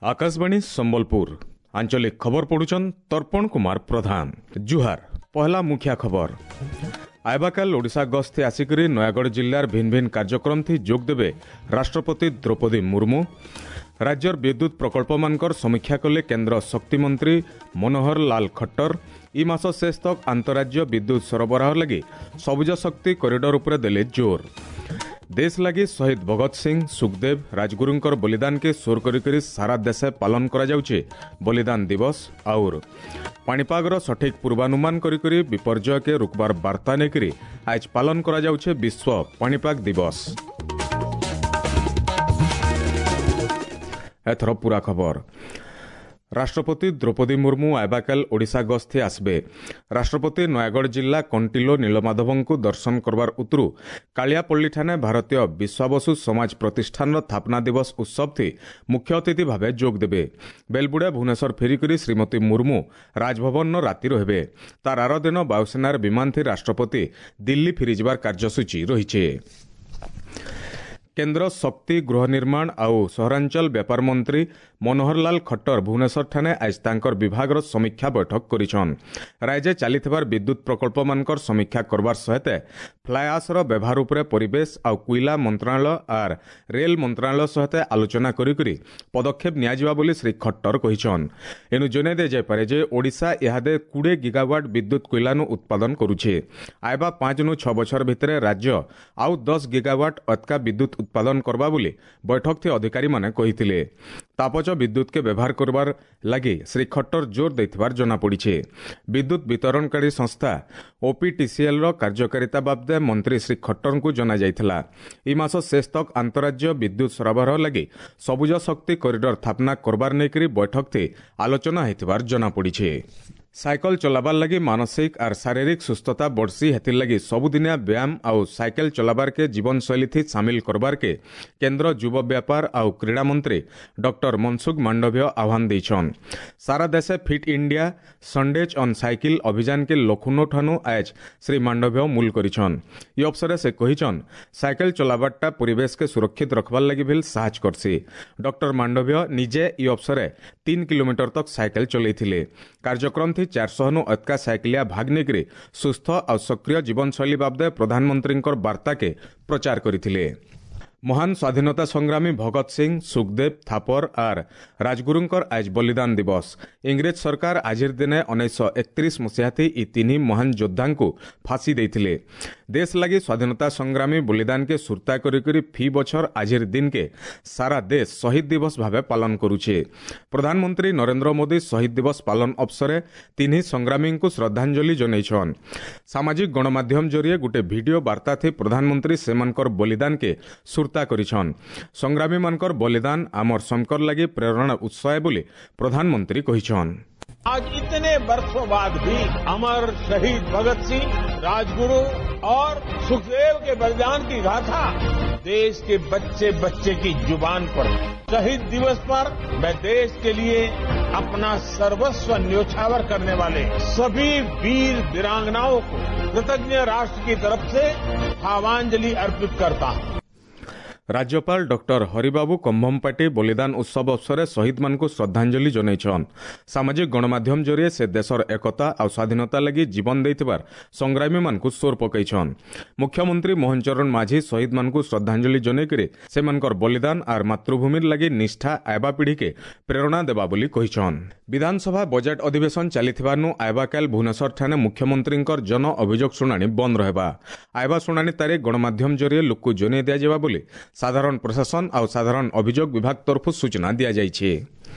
ଆକାଶବାଣୀ ସମ୍ବଲପୁର ଆଞ୍ଚଳିକ ଖବର ପଢୁଛନ୍ ତର୍ପଣ କୁମାର ପ୍ରଧାନ। ଜୁହାର। ପହଲା ମୁଖିଆ ଖବର। ଆଇବାକାଲ ଓଡ଼ିଶା ଗସ୍ତେ ଆସିକରି ନୟାଗଡ଼ ଜିଲ୍ଲାର ଭିନ୍ନ ଭିନ୍ନ କାର୍ଯ୍ୟକ୍ରମ ଥି ଯୋଗ ଦେବେ ରାଷ୍ଟ୍ରପତି ଦ୍ରୌପଦୀ ମୁର୍ମୁ। ରାଜ୍ୟର ବିଦ୍ୟୁତ୍ ପ୍ରକଳ୍ପମାନଙ୍କର ସମୀକ୍ଷା କଲେ କେନ୍ଦ୍ର ଶକ୍ତିମନ୍ତ୍ରୀ ମନୋହର ଲାଲ ଖଟ୍ଟର। ଇ ମାସ ଶେଷ ତକ୍ ଆନ୍ତରାଜ୍ୟ ବିଦ୍ୟୁତ୍ ସରବରାହ ଲାଗି ସବୁଜ ଶକ୍ତି କରିଡର ଉପରେ ଦେଲେ ଜୋର। ଦେଶ ଲାଗି ଶହୀଦ ଭଗତ ସିଂ, ସୁଖଦେବ, ରାଜଗୁରୁଙ୍କର ବଳିଦାନକେ ସୋର କରି କରି ସାରା ଦେଶେ ପାଳନ କରାଯାଉଛି ବଳିଦାନ ଦିବସ। ଆଉର ପାଣିପାଗର ସଠିକ ପୂର୍ବାନୁମାନ କରି କରି ବିପର୍ଯ୍ୟୟକେ ରୋକବାର ବାର୍ତ୍ତା ନେଇକରି ଆଜ ପାଳନ କରାଯାଉଛି ବିଶ୍ୱ ପାଣିପାଗ ଦିବସ। ଏଥର ପୁରା ଖବର। ରାଷ୍ଟ୍ରପତି ଦ୍ରୌପଦୀ ମୁର୍ମୁ ଆଇବାକାଲ ଓଡ଼ିଶା ଗସ୍ତେ ଆସିବେ। ରାଷ୍ଟ୍ରପତି ନୟାଗଡ଼ ଜିଲ୍ଲା କଣ୍ଟିଲୋ ନୀଳମାଧବଙ୍କୁ ଦର୍ଶନ କରବାର ଉତରୁ କାଳିଆପଲ୍ଲୀଠାନେ ଭାରତୀୟ ବିଶ୍ୱାବସୁ ସମାଜ ପ୍ରତିଷ୍ଠାନର ସ୍ଥାପନା ଦିବସ ଉତ୍ସବଥି ମୁଖ୍ୟ ଅତିଥି ଭାବେ ଯୋଗ ଦେବେ। ବେଲବୁଡ଼ା ଭୁବନେଶ୍ୱର ଫେରିକରି ଶ୍ରୀମତୀ ମୁର୍ମୁ ରାଜଭବନର ରାତି ରହିବେ। ତାର ଆର ଦିନ ବାୟୁସେନାର ବିମାନଥି ରାଷ୍ଟ୍ରପତି ଦିଲ୍ଲୀ ଫେରିଯିବାର କାର୍ଯ୍ୟସୂଚୀ ରହିଛି। କେନ୍ଦ୍ର ଶକ୍ତି, ଗୃହ ନିର୍ମାଣ ଆଉ ସହରାଞ୍ଚଳ ବ୍ୟାପାର ମନ୍ତ୍ରୀ ମନୋହରଲାଲ ଖଟ୍ଟର ଭୁବନେଶ୍ୱରଠାନେ ଆଜ ତାଙ୍କର ବିଭାଗର ସମୀକ୍ଷା ବୈଠକ କରିଛନ୍। ରାଜ୍ୟ ଚାଲିଥିବାର ବିଦ୍ୟୁତ୍ ପ୍ରକଳ୍ପମାନଙ୍କର ସମୀକ୍ଷା କରବାର ସହିତ ଫ୍ଲାଏଆସ୍ର ବ୍ୟବହାର ଉପରେ ପରିବେଶ ଆଉ କୋଇଲା ମନ୍ତ୍ରଣାଳୟ ଆର୍ ରେଲ ମନ୍ତ୍ରଣାଳୟ ସହିତ ଆଲୋଚନା କରିକରି ପଦକ୍ଷେପ ନିଆଯିବା ବୋଲି ଶ୍ରୀ ଖଟ୍ଟର କହିଛନ୍। ଏନୁ ଜଣାଇ ଦିଆଯାଇପାରେ ଯେ ଓଡ଼ିଶା ଇହାଦେ 20 ଗିଗାୱାଟ୍ ବିଦ୍ୟୁତ୍ କୋଇଲାନୁ ଉତ୍ପାଦନ କରୁଛେ। ଆଇବା 5 ନୁ 6 ବଛର ଭିତରେ ରାଜ୍ୟ ଆଉ 10 ଗିଗାୱାଟ୍ ଅତକା ବିଦ୍ୟୁତ୍ ଉତ୍ପାଦନ କରବା ବୋଲି ବୈଠକ ଅଧିକାରୀମାନେ କହିଥିଲେ। ତାପଜ ବିଦ୍ୟୁତ୍କେ ବ୍ୟବହାର କରବାର ଲାଗି ଶ୍ରୀ ଖଟ୍ଟର ଜୋର ଦେଇଥିବାର ଜଣାପଡ଼ିଛି। ବିଦ୍ୟୁତ୍ ବିତରଣକାରୀ ସଂସ୍ଥା ଓପିଟିସିଏଲ୍ର କାର୍ଯ୍ୟକାରିତା ବାବଦେ ମନ୍ତ୍ରୀ ଶ୍ରୀ ଖଟ୍ଟରଙ୍କୁ ଜଣାଯାଇଥିଲା। ଇ ମାସ ଶେଷ ତକ୍ ଆନ୍ତରାଜ୍ୟ ବିଦ୍ୟୁତ୍ ସରବରାହ ଲାଗି ସବୁଜ ଶକ୍ତି କରିଡର ସ୍ଥାପନା କରବାର ନେଇକରି ବୈଠକ ଆଲୋଚନା ହୋଇଥିବାର ଜଣାପଡ଼ିଛି। ସାଇକେଲ ଚଲାବାର ଲାଗି ମାନସିକ ଆର୍ ଶାରୀରିକ ସୁସ୍ଥତା ବଢ଼ସି, ହେଥିର୍ଲାଗି ସବୁଦିନିଆ ବ୍ୟାୟାମ ଆଉ ସାଇକେଲ ଚଲାବାରକେ ଜୀବନଶୈଳୀ ସାମିଲ କରବାରକେ କେନ୍ଦ୍ର ଯୁବ ବ୍ୟାପାର ଆଉ କ୍ରୀଡ଼ା ମନ୍ତ୍ରୀ ଡକ୍ଟର ମନସୁଖ ମାଣ୍ଡଭ୍ୟ ଆହ୍ୱାନ ଦେଇଛନ୍। ସାରା ଦେଶେ fit India Sundays on cycle ଅଭିଯାନକେ Lucknow ଠାନୁ ଆଜ ଶ୍ରୀ ମାଣ୍ଡଭ୍ୟ ମୂଲ କରିଛନ୍। ଇ ଅବସରେ ସେ କହିଛନ୍, ସାଇକେଲ ଚଲାବାରଟା ପରିବେଶକେ ସୁରକ୍ଷିତ ରଖବାର ଲାଗି ଭିଲ୍ ସାହାଯ୍ୟ କରସି। ଡକ୍ଟର ମାଣ୍ଡଭ୍ୟ ନିଜେ ଇ ଅବସରେ 3 କିଲୋମିଟର ତକ୍ ସାଇକେଲ ଚଲେଇଥିଲେ। କାର୍ଯ୍ୟକ୍ରମ ଥି 400 ନୁ ଅତକା ସାଇକେଲିଆ ଭାଗ ନେଇକରି ସୁସ୍ଥ ଆଉ ସକ୍ରିୟ ଜୀବନଶୈଳୀ ବାବଦେ ପ୍ରଧାନମନ୍ତ୍ରୀଙ୍କର ବାର୍ତ୍ତାକେ ପ୍ରଚାର କରିଥିଲେ। ମହାନ ସ୍ୱାଧୀନତା ସଂଗ୍ରାମୀ ଭଗତ ସିଂ, ସୁଖଦେବ, ଥାପର ଆର୍ ରାଜଗୁରୁଙ୍କର ଆଜ ବଳିଦାନ ଦିବସ। ଇଂରେଜ ସରକାର ଆଜିର ଦିନେ 1931 ମସିହାଥି ଇ ତିନି ମହାନ ଯୋଦ୍ଧାଙ୍କୁ ଫାଶୀ ଦେଇଥିଲେ। ଦେଶ ଲାଗି ସ୍ୱାଧୀନତା ସଂଗ୍ରାମୀ ବଳିଦାନକେ ସୁର୍ତ୍ତା କରିକରି ଫି ବଛର ଆଜିର ଦିନକେ ସାରା ଦେଶ ଶହୀଦ ଦିବସ ଭାବେ ପାଳନ କରୁଛେ। ପ୍ରଧାନମନ୍ତ୍ରୀ ନରେନ୍ଦ୍ର ମୋଦି ଶହୀଦ ଦିବସ ପାଳନ ଅବସରେ ତିନି ସଂଗ୍ରାମୀଙ୍କୁ ଶ୍ରଦ୍ଧାଞ୍ଜଳି ଜଣାଇଛନ୍। ସାମାଜିକ ଗଣମାଧ୍ୟମ ଜରିଏ ଗୋଟେ ଭିଡିଓ ବାର୍ତ୍ତା ଥି ପ୍ରଧାନମନ୍ତ୍ରୀ ସେମାନଙ୍କର ବଳିଦାନକେ ସୁର୍ତ୍ତା କରିଛନ୍। ସଂଗ୍ରାମୀମାନଙ୍କର ବଳିଦାନ ଆମର ସମକର ଲାଗି ପ୍ରେରଣା ଉତ୍ସ ବୋଲି ପ୍ରଧାନମନ୍ତ୍ରୀ କହିଛନ୍। आज इतने वर्षों बाद भी अमर शहीद भगत सिंह, राजगुरु और सुखदेव के बलिदान की गाथा देश के बच्चे बच्चे की जुबान पर। शहीद दिवस पर मैं देश के लिए अपना सर्वस्व न्योछावर करने वाले सभी वीर वीरांगनाओं को कृतज्ञ राष्ट्र की तरफ से भावांजलि अर्पित करता हूं। ରାଜ୍ୟପାଳ ଡକ୍ଟର ହରିବାବୁ କମ୍ଭମପାଟି ବଳିଦାନ ଉତ୍ସବ ଅବସରେ ଶହୀଦମାନଙ୍କୁ ଶ୍ରଦ୍ଧାଞ୍ଜଳି ଜଣାଇଛନ୍। ସାମାଜିକ ଗଣମାଧ୍ୟମ ଜରିଏ ସେ ଦେଶର ଏକତା ଆଉ ସ୍ୱାଧୀନତା ଲାଗି ଜୀବନ ଦେଇଥିବାର ସଂଗ୍ରାମୀମାନଙ୍କୁ ସୋର ପକାଇଛନ୍। ମୁଖ୍ୟମନ୍ତ୍ରୀ ମୋହନ ଚରଣ ମାଝୀ ଶହୀଦମାନଙ୍କୁ ଶ୍ରଦ୍ଧାଞ୍ଜଳି ଜଣାଇକରି ସେମାନଙ୍କର ବଳିଦାନ ଆର୍ ମାତୃଭୂମିର ଲାଗି ନିଷ୍ଠା ଆଇବା ପିଢ଼ିକେ ପ୍ରେରଣା ଦେବା ବୋଲି କହିଛନ୍। ବିଧାନସଭା ବଜେଟ୍ ଅଧିବେଶନ ଚାଲିଥିବାରୁ ଆଇବାକାଲ ଭୁବନେଶ୍ୱରଠାନେ ମୁଖ୍ୟମନ୍ତ୍ରୀଙ୍କର ଜନ ଅଭିଯୋଗ ଶୁଣାଣି ବନ୍ଦ ରହିବା। ଆଇବା ଶୁଣାଣି ତାରିଖ ଗଣମାଧ୍ୟମ ଜରିଏ ଲୋକକୁ ଜଣାଇ ଦିଆଯିବା ବୋଲି ସାଧାରଣ ପ୍ରଶାସନ ଆଉ ସାଧାରଣ ଅଭିଯୋଗ ବିଭାଗ ତରଫରୁ ସୂଚନା ଦିଆଯାଇଛି।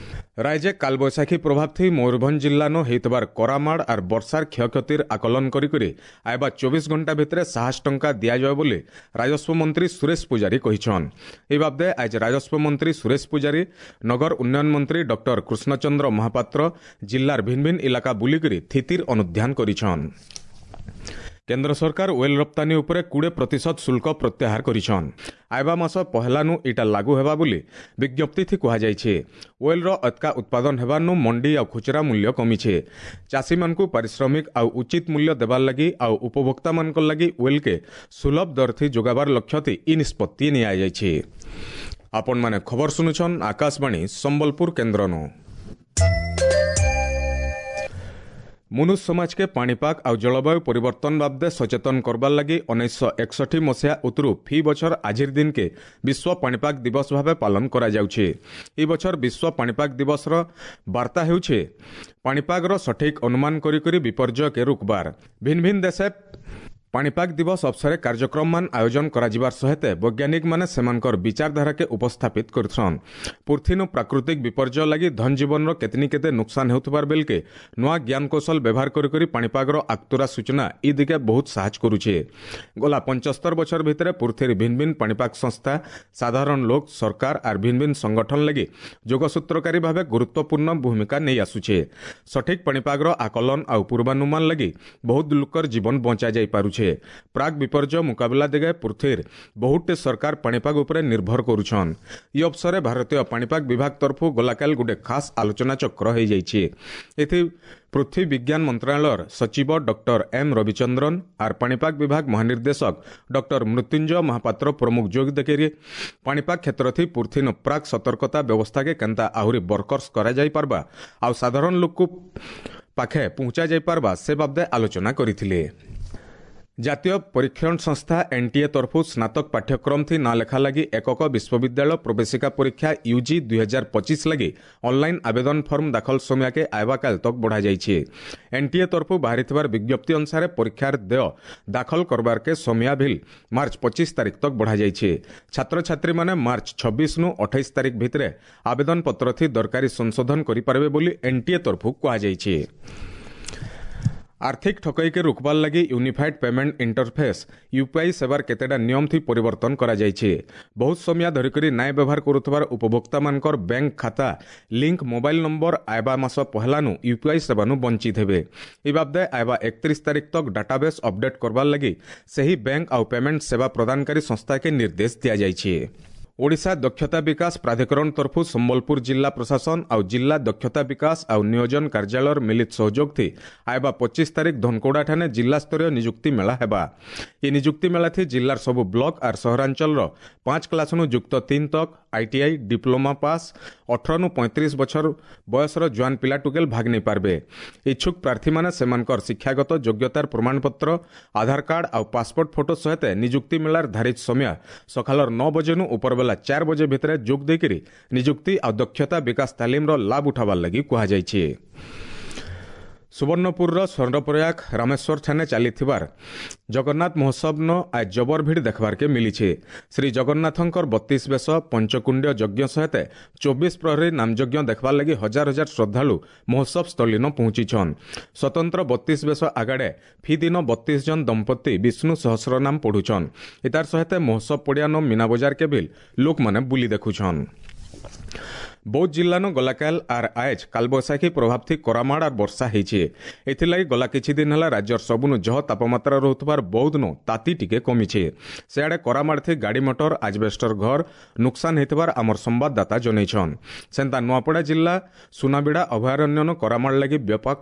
ରାଜ୍ୟ କାଲବୈଶାଖୀ ପ୍ରଭାବ ଥି ମୟୂରଭଞ୍ଜ ଜିଲ୍ଲାନୁ ହେଇଥିବାର କରାମାଡ଼ ଆର୍ ବର୍ଷାର କ୍ଷୟକ୍ଷତିର ଆକଳନ କରିକରି ଆଇବା 24 ଘଣ୍ଟା ଭିତରେ 7 ଟଙ୍କା ଦିଆଯିବ ବୋଲି ରାଜସ୍ୱ ମନ୍ତ୍ରୀ ସୁରେଶ ପୂଜାରୀ କହିଛନ୍। ଏ ବାବଦେ ଆଜ ରାଜସ୍ୱ ମନ୍ତ୍ରୀ ସୁରେଶ ପୂଜାରୀ, ନଗର ଉନ୍ନୟନ ମନ୍ତ୍ରୀ ଡକ୍ଟର କୃଷ୍ଣଚନ୍ଦ୍ର ମହାପାତ୍ର ଜିଲ୍ଲାର ଭିନ୍ନ ଭିନ୍ନ ଇଲାକା ବୁଲିକରି ସ୍ଥିତିର ଅନୁଧ୍ୟାନ କରିଛନ୍। କେନ୍ଦ୍ର ସରକାର ଓଏଲ୍ ରପ୍ତାନୀ ଉପରେ 20% ଶୁଳ୍କ ପ୍ରତ୍ୟାହାର କରିଛନ୍। ଆଇବା ମାସ ପହେଲାନୁ ଇଟା ଲାଗୁ ହେବା ବୋଲି ବିଜ୍ଞପ୍ତି କୁହାଯାଇଛି। ଓଏଲ୍ର ଅତକା ଉତ୍ପାଦନ ହେବାନୁ ମଣ୍ଡି ଆଉ ଖୁଚୁରା ମୂଲ୍ୟ କମିଛେ। ଚାଷୀମାନଙ୍କୁ ପାରିଶ୍ରମିକ ଆଉ ଉଚିତ ମୂଲ୍ୟ ଦେବାର ଲାଗି ଆଉ ଉପଭୋକ୍ତାମାନଙ୍କ ଲାଗି ଓଏଲ୍କେ ସୁଲଭ ଦରଥି ଯୋଗାବାର ଲକ୍ଷ୍ୟଥି ଇ ନିଷ୍ପତ୍ତି ନିଆଯାଇଛି। ଆପଣମାନେ ଖବର ଶୁଣୁଛନ୍ ଆକାଶବାଣୀ ସମ୍ବଲପୁର କେନ୍ଦ୍ରନୁ। ମନୁଷ୍ୟ ସମାଜକେ ପାଣିପାଗ ଆଉ ଜଳବାୟୁ ପରିବର୍ତ୍ତନ ବାବଦେ ସଚେତନ କରବାର୍ ଲାଗି 1961 ମସିହା ଉତରୁ ଫି ବଛର ଆଜିର ଦିନକେ ବିଶ୍ୱ ପାଣିପାଗ ଦିବସ ଭାବେ ପାଳନ କରାଯାଉଛି। ଏ ବଛର ବିଶ୍ୱ ପାଣିପାଗ ଦିବସର ବାର୍ତ୍ତା ହେଉଛି ପାଣିପାଗର ସଠିକ ଅନୁମାନ କରି କରି ବିପର୍ଯ୍ୟୟକେ ରୋକବାର। ଭିନ୍ନ ଭିନ୍ନ ଦେଶେ ପାଣିପାଗ ଦିବସ ଅବସରେ କାର୍ଯ୍ୟକ୍ରମମାନ ଆୟୋଜନ କରାଯିବାର ସହିତ ବୈଜ୍ଞାନିକମାନେ ସେମାନଙ୍କର ବିଚାରଧାରାକେ ଉପସ୍ଥାପିତ କରିଛନ୍। ପୃଥିନୁ ପ୍ରାକୃତିକ ବିପର୍ଯ୍ୟୟ ଲାଗି ଧନଜୀବନର କେତନି କେତେ ନୁକସାନ ହେଉଥିବାର ବେଲକେ ନୂଆ ଜ୍ଞାନକୌଶଳ ବ୍ୟବହାର କରି କରି ପାଣିପାଗର ଆକ୍ତୁରା ସୂଚନା ଇ ଦିଗେ ବହୁତ ସାହାଯ୍ୟ କରୁଛେ। ଗଲା 75 ବଛର ଭିତରେ ପୃଥିବୀର ଭିନ୍ନ ଭିନ୍ନ ପାଣିପାଗ ସଂସ୍ଥା ସାଧାରଣ ଲୋକ, ସରକାର ଆର୍ ଭିନ୍ନ ଭିନ୍ନ ସଂଗଠନ ଲାଗି ଯୋଗସୂତ୍ରକାରୀ ଭାବେ ଗୁରୁତ୍ୱପୂର୍ଣ୍ଣ ଭୂମିକା ନେଇ ଆସୁଛେ। ସଠିକ ପାଣିପାଗର ଆକଳନ ଆଉ ପୂର୍ବାନୁମାନ ଲାଗି ବହୁତ ଲୋକର ଜୀବନ ବଞ୍ଚା ଯାଇପାରୁଛେ। ପ୍ରାକ୍ ବିପର୍ଯ୍ୟୟ ମୁକାବିଲା ଦିଗେ ପୃଥିବୀର ବହୁତଟେ ସରକାର ପାଣିପାଗ ଉପରେ ନିର୍ଭର କରୁଛନ୍। ଇ ଅବସରେ ଭାରତୀୟ ପାଣିପାଗ ବିଭାଗ ତରଫରୁ ଗଲାକାଲି ଗୋଟେ ଖାସ ଆଲୋଚନା ଚକ୍ର ହୋଇଯାଇଛି। ଏଥି ପୃଥ୍ୱୀ ବିଜ୍ଞାନ ମନ୍ତ୍ରଣାଳୟର ସଚିବ ଡକ୍ଟର ଏମ୍ ରବିଚନ୍ଦ୍ରନ ଆର୍ ପାଣିପାଗ ବିଭାଗ ମହାନିର୍ଦ୍ଦେଶକ ଡକ୍ଟର ମୃତ୍ୟୁଞ୍ଜୟ ମହାପାତ୍ର ପ୍ରମୁଖ ଯୋଗ ଦେଇକରି ପାଣିପାଗ କ୍ଷେତ୍ରଥି ପୃଥିବୀନ ପ୍ରାକ୍ ସତର୍କତା ବ୍ୟବସ୍ଥାକେ କେନ୍ତା ଆହୁରି ବରକର୍ସ କରାଯାଇପାରବା ଆଉ ସାଧାରଣ ଲୋକକୁ ପାଖେ ପହଞ୍ଚା ଯାଇପାରବା ସେ ବାବଦେ ଆଲୋଚନା କରିଥିଲେ। ଜାତୀୟ ପରୀକ୍ଷଣ ସଂସ୍ଥା ଏନ୍ଟିଏ ତରଫରୁ ସ୍ନାତକ ପାଠ୍ୟକ୍ରମ ଥି ନାଁ ଲେଖା ଲାଗି ଏକକ ବିଶ୍ୱବିଦ୍ୟାଳୟ ପ୍ରବେଶିକା ପରୀକ୍ଷା ୟୁଜି 2025 ଲାଗି ଅନଲାଇନ୍ ଆବେଦନ ଫର୍ମ ଦାଖଲ ସମୟକେ ଆଇବାକାଲ ତକ ବଢ଼ାଯାଇଛି। ଏନ୍ଟିଏ ତରଫରୁ ବାହାରିଥିବାର ବିଜ୍ଞପ୍ତି ଅନୁସାରେ ପରୀକ୍ଷାର ଦେୟ ଦାଖଲ କରବାରକେ ସମୟ ଭିଲ୍ ମାର୍ଚ୍ଚ 25 ତାରିଖ ତକ ବଢ଼ାଯାଇଛି। ଛାତ୍ରଛାତ୍ରୀମାନେ ମାର୍ଚ୍ଚ 26 ନୁ 28 ତାରିଖ ଭିତରେ ଆବେଦନ ପତ୍ର ଥି ଦରକାରୀ ସଂଶୋଧନ କରିପାରିବେ ବୋଲି ଏନ୍ଟିଏ ତରଫରୁ କୁହାଯାଇଛି। ଆର୍ଥିକ ଠକେଇକେ ରୋକବାର ଲାଗି ୟୁନିଫାଏଡ୍ ପେମେଣ୍ଟ ଇଣ୍ଟରଫେସ୍ ୟୁପିଆଇ ସେବାର କେତେଟା ନିୟମ ଥି ପରିବର୍ତ୍ତନ କରାଯାଇଛି। ବହୁତ ସମୟ ଧରିକରି ନାଇଁ ବ୍ୟବହାର କରୁଥିବାର ଉପଭୋକ୍ତାମାନଙ୍କର ବ୍ୟାଙ୍କ ଖାତା ଲିଙ୍କ ମୋବାଇଲ ନମ୍ବର ଆଇବା ମାସ ପହଲାନୁ ୟୁପିଆଇ ସେବାନୁ ବଞ୍ଚିତ ହେବେ। ଏ ବାବଦେ ଆଇବା 31 ତାରିଖ ତକ ଡାଟାବେସ୍ ଅପଡେଟ୍ କରବାର ଲାଗି ସେହି ବ୍ୟାଙ୍କ ଆଉ ପେମେଣ୍ଟ ସେବା ପ୍ରଦାନକାରୀ ସଂସ୍ଥାକେ ନିର୍ଦ୍ଦେଶ ଦିଆଯାଇଛି। ଓଡ଼ିଶା ଦକ୍ଷତା ବିକାଶ ପ୍ରାଧିକରଣ ତରଫରୁ ସମ୍ବଲପୁର ଜିଲ୍ଲା ପ୍ରଶାସନ ଆଉ ଜିଲ୍ଲା ଦକ୍ଷତା ବିକାଶ ଆଉ ନିୟୋଜନ କାର୍ଯ୍ୟାଳୟର ମିଳିତ ସହଯୋଗ ଥି ଆଇବା 25 ତାରିଖ ଧନକୋଡ଼ାଠାନେ ଜିଲ୍ଲାସ୍ତରୀୟ ନିଯୁକ୍ତି ମେଳା ହେବା। ଏ ନିଯୁକ୍ତି ମେଳା ଥି ଜିଲ୍ଲାର ସବୁ ବ୍ଲକ ଆର୍ ସହରାଞ୍ଚଳର 5 କ୍ଲାସନୁ ଯୁକ୍ତ 3 ତକ ଆଇଟିଆଇ ଡିପ୍ଲୋମା ପାସ୍ 18 ନୁ 35 ବଛର ବୟସର ଜୁଆନ ପିଲା ଟୁକେଲ ଭାଗ ନେଇପାରିବେ। ଇଚ୍ଛୁକ ପ୍ରାର୍ଥୀମାନେ ସେମାନଙ୍କର ଶିକ୍ଷାଗତ ଯୋଗ୍ୟତାର ପ୍ରମାଣପତ୍ର, ଆଧାର କାର୍ଡ ଆଉ ପାସପୋର୍ଟ ଫଟୋ ସହିତ ନିଯୁକ୍ତି ମେଳାର ଧାରିତ ସମୟ ସକାଳର 9 ବଜେନୁ ଉପରବେଲା 4 ବଜେ ଭିତରେ ଯୋଗ ଦେଇକରି ନିଯୁକ୍ତି ଆଉ ଦକ୍ଷତା ବିକାଶ ତାଲିମର ଲାଭ ଉଠାବାର ଲାଗି କୁହାଯାଇଛି। ସୁବର୍ଣ୍ଣପୁରର ସ୍ୱର୍ଣ୍ଣପ୍ରୟାଗ ରାମେଶ୍ୱର ଠାନେ ଚାଲିଥିବାର ଜଗନ୍ନାଥ ମହୋତ୍ସବନ ଆଜ ଜବର ଭିଡ଼ ଦେଖବାର୍କେ ମିଳିছে। ଶ୍ରୀ ଜଗନ୍ନାଥଙ୍କର 32 ବେଶ ପଞ୍ଚକୁଣ୍ଡ୍ୟ ଯଜ୍ଞ ସହିତ 24 ପ୍ରହରୀ ନାମଯଜ୍ଞ ଦେଖବାର୍ ଲାଗି ହଜାର ହଜାର ଶ୍ରଦ୍ଧାଳୁ ମହୋତ୍ସବ ସ୍ଥଳୀନ ପହଞ୍ଚିଛନ୍। ସ୍ୱତନ୍ତ୍ର 32 ବେଶ ଆଗାଡ଼େ ଫି ଦିନ 32 ଜଣ ଦମ୍ପତି ବିଷ୍ଣୁ ସହସ୍ରନାମ ପଢୁଛନ୍। ଏତାର ସହିତ ମହୋତ୍ସବ ପଡ଼ିଆନ ମୀନା ବଜାର କେ ଭିଲ୍ ଲୋକମାନେ ବୁଲି ଦେଖୁଛନ୍। ବୌଦ୍ଧ ଜିଲ୍ଲାନ ଗଲାକାଲ ଆର୍ ଆଏଜ୍ କାଲବୈଶାଖୀ ପ୍ରଭାବ ଥି କରାମାଡ଼ ଆର୍ ବର୍ଷା ହେଇଛେ। ଏଥିଲାଗି ଗଲା କିଛି ଦିନ ହେଲା ରାଜ୍ୟର ସବୁନୁ ଜହ ତାପମାତ୍ରା ରହୁଥିବାର ବୌଦ୍ଧନୁ ତାତି ଟିକେ କମିଛେ। ସେଆଡ଼େ କରାମାଡ଼ ଥି ଗାଡ଼ି ମଟର, ଆଜବେଷ୍ଟର ଘର ନୁକସାନ ହେଇଥିବାର ଆମର ସମ୍ବାଦଦାତା ଜଣେଇଛନ୍। ସେନ୍ତା ନୂଆପଡ଼ା ଜିଲ୍ଲା ସୁନାବିଡ଼ା ଅଭୟାରଣ୍ୟନ କରାମାଡ଼ ଲାଗି ବ୍ୟାପକ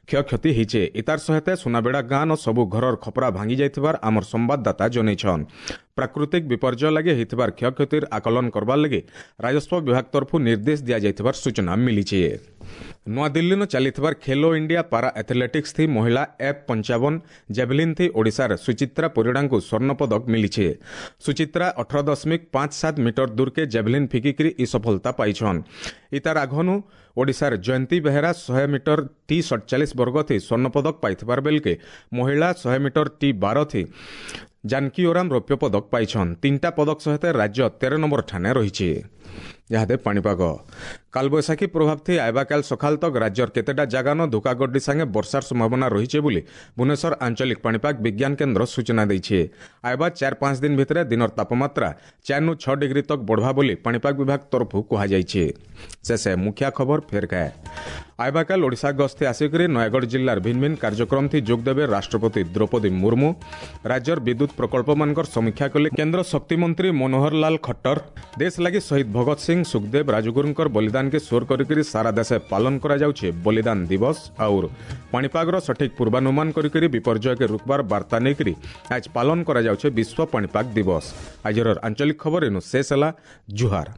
କ୍ଷୟକ୍ଷତି ହେଇଛେ। ଇତାର ସହିତ ସୁନାବିଡ଼ା ଗାଁନ ସବୁ ଘରର ଖପରା ଭାଙ୍ଗି ଯାଇଥିବାର ଆମର ସମ୍ବାଦଦାତା ଜଣେଇଛନ୍। ପ୍ରାକୃତିକ ବିପର୍ଯ୍ୟୟ ଲାଗି ହେଇଥିବାର କ୍ଷୟକ୍ଷତିର ଆକଳନ କରବାର ଲାଗି ରାଜସ୍ୱ ବିଭାଗ ତରଫରୁ ନିର୍ଦ୍ଦେଶ ଦିଆଯାଇଥିବାର ସୂଚନା ମିଳିଛି। ନୂଆଦିଲ୍ଲୀନ ଚାଲିଥିବାର ଖେଲୋ ଇଣ୍ଡିଆ ପାରା ଆଥଲେଟିକ୍ସ ଥି ମହିଳା ଏଫ୍ 55 ଜାଭେଲିନ୍ ଥି ଓଡ଼ିଶାର ସୁଚିତ୍ରା ପରିଡ଼ାଙ୍କୁ ସ୍ୱର୍ଣ୍ଣ ପଦକ ମିଳିଛି। ସୁଚିତ୍ରା 18.57 ମିଟର ଦୂରକେ ଜାଭେଲିନ୍ ଫିକିକରି ଇ ସଫଳତା ପାଇଛନ୍। ଇତାର ଆଘନୁ ଓଡ଼ିଶାର ଜୟନ୍ତୀ ବେହେରା 100 ମିଟର ଟି 47 ବର୍ଗ ଥି ସ୍ୱର୍ଣ୍ଣ ପଦକ ପାଇଥିବାର ବେଲକେ ମହିଳା 100 ମିଟର ଟି 12 ଥି ଜାନକୀ ଓରାମ ରୌପ୍ୟ ପଦକ ପାଇଛନ୍। 3ଟା ପଦକ ସହିତ ରାଜ୍ୟ 13 ନମ୍ବର ଠାନେ ରହିଛି। ଇହାଦେ ପାଣିପାଗ କାଲବୈଶାଖୀ ପ୍ରଭାବ ଥି ଆଇବାକାଲ ସକାଳ ତକ ରାଜ୍ୟର କେତେଟା ଜାଗାନ ଧୋକାଗଡ୍ଡି ସାଙ୍ଗେ ବର୍ଷାର ସମ୍ଭାବନା ରହିছে ବୋଲି ଭୁବନେଶ୍ୱର ଆଞ୍ଚଳିକ ପାଣିପାଗ ବିଜ୍ଞାନ କେନ୍ଦ୍ର ସୂଚନା ଦେଇছে। ଆଇବା 4-5 ଦିନ ଭିତରେ ଦିନର ତାପମାତ୍ରା 4 ରୁ 6 ଡିଗ୍ରୀ ତକ ବଢ଼ବା ବୋଲି ପାଣିପାଗ ବିଭାଗ ତରଫରୁ କୁହାଯାଇଛି। ଶେଷେ ମୁଖ୍ୟ ଖବର ଫେର ଖାଏ। ଆଇବାକାଲ ଓଡ଼ିଶା ଗସ୍ତେ ଆସିକରି ନୟାଗଡ଼ ଜିଲ୍ଲାର ଭିନ୍ନ ଭିନ୍ନ କାର୍ଯ୍ୟକ୍ରମ ଥି ଯୋଗ ଦେବେ ରାଷ୍ଟ୍ରପତି ଦ୍ରୌପଦୀ ମୁର୍ମୁ। ରାଜ୍ୟର ବିଦ୍ୟୁତ ପ୍ରକଳ୍ପମାନଙ୍କର ସମୀକ୍ଷା କଲେ କେନ୍ଦ୍ର ଶକ୍ତିମନ୍ତ୍ରୀ ମନୋହର ଲାଲ ଖଟ୍ଟର। ଦେଶ ଲାଗି ଶହୀଦ ଭଗତ ସିଂ, ସୁଖଦେବ, ରାଜଗୁରୁଙ୍କର ବଳିଦାନକେ ସୋର କରିକରି ସାରା ଦେଶେ ପାଳନ କରାଯାଉଛେ ବଳିଦାନ ଦିବସ। ଆଉର ପାଣିପାଗର ସଠିକ ପୂର୍ବାନୁମାନ କରିକରି ବିପର୍ଯ୍ୟୟକେ ରୋକବାର ବାର୍ତ୍ତା ନେଇକରି ଆଜ ପାଳନ କରାଯାଉଛେ ବିଶ୍ୱ ପାଣିପାଗ ଦିବସ। ଆଜିର ଆଞ୍ଚଳିକ ଖବର ଏନୁ ଶେଷ ହେଲା। ଜୁହାର।